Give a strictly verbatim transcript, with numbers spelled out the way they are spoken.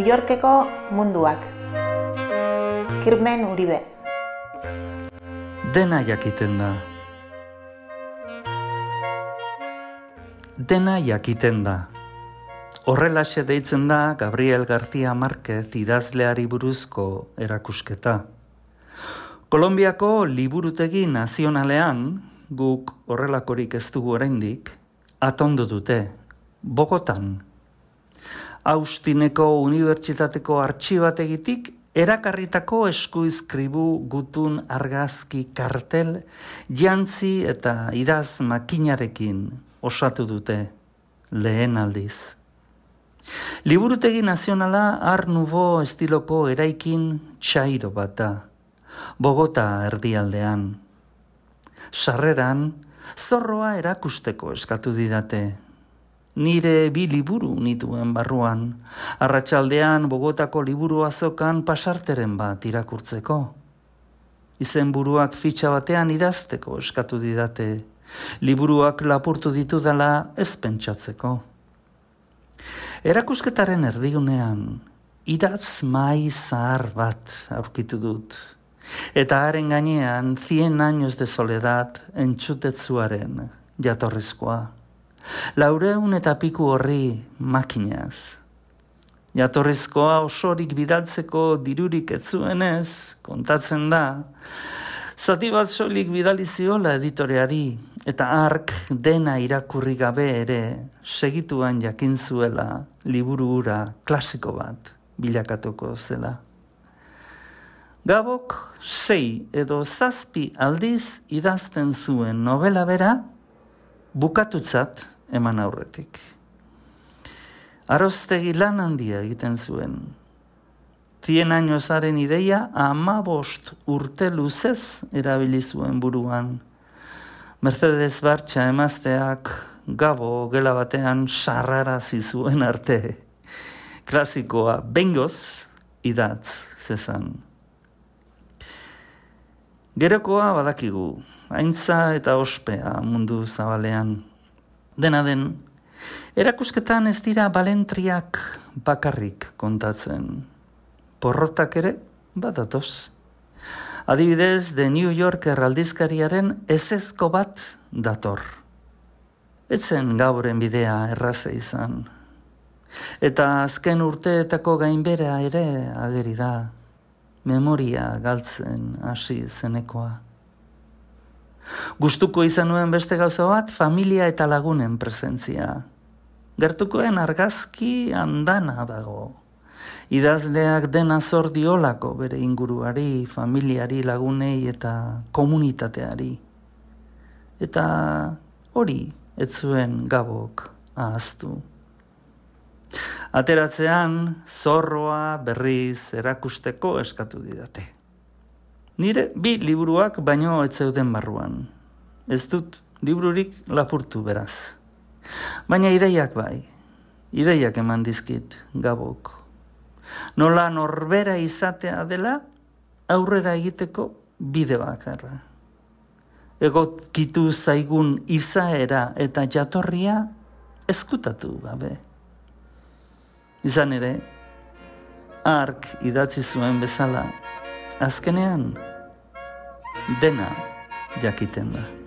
New Yorkeko munduak. Kirmen Uribe. Dena jakiten da. Dena jakiten da. Horrelaxe deitzen da Gabriel García Márquez idazleari buruzko erakusketa. Kolonbiako liburutegi nazionalean, guk horrelakorik ez dugu oraindik, atondu dute, Bogotan. Austineko Unibertsitateko artxibategitik erakarritako eskuizkribu gutun argazki kartel jantzi eta idaz makinarekin osatu dute lehen aldiz. Liburutegi nazionala Art Nouveau estiloko eraikin txairo bat da, Bogota erdialdean. Sarreran, zorroa erakusteko eskatu didate. Nire bi liburu nituen barruan, arratsaldean Bogotako liburu azokan pasarteren bat irakurtzeko. Izenburuak fitxa batean idazteko eskatu didate, liburuak lapurtu ditudala ez pentsatzeko. Erakusketaren erdigunean, idatz mai zahar bat aurkitu dut, eta haren gainean cien años de soledad entzutetzuaren jatorrizkoa. Laureun eta piku horri makinaz. Jatorrizkoa osorik bidaltzeko dirurik ez zuenez, kontatzen da, zati bat soilik bidali ziola editoreari, eta hark dena irakurri gabe ere segituan jakin zuela liburu hura klasiko bat bilakatuko zela. Gabok sei edo zazpi aldiz idazten zuen novela bera bukatutzat eman aurretik. Aroztegi lan handia egiten zuen. Cien añosaren ideia hamabost urte luzez erabili zuen buruan. Mercedes Bartxa emazteak Gabo gela batean sarrarazi zuen arte. Klasikoa bengoz idatz zezan. Gerokoa badakigu, haintza eta ospea mundu zabalean. Dena den, erakusketan ez dira balentriak bakarrik kontatzen. Porrotak ere badatoz. Adibidez, The New Yorker aldizkariaren ezezko bat dator. Etzen Gaboren bidea erraza izan. Eta azken urteetako gainbera ere ageri da. Memoria galtzen hasi zenekoa. Gustuko izan nuen beste gauza bat, familia eta lagunen presentzia. Gertukoen argazki andana dago. Idazleak dena zor diolako bere inguruari, familiari, lagunei eta komunitateari. Eta hori ez zuen Gabok ahaztu. Ateratzean, zorroa berriz erakusteko eskatu didate. Nire bi liburuak baino ez zeuden barruan. Ez dut libururik lapurtu beraz. Baina ideiak bai, ideiak eman dizkit Gabok. Nola norbera izatea dela aurrera egiteko bide bakarra. Egokitu zaigun izaera eta jatorria ezkutatu gabe. Izan ere, hark idatzi zuen bezala, azkenean dena jakiten da.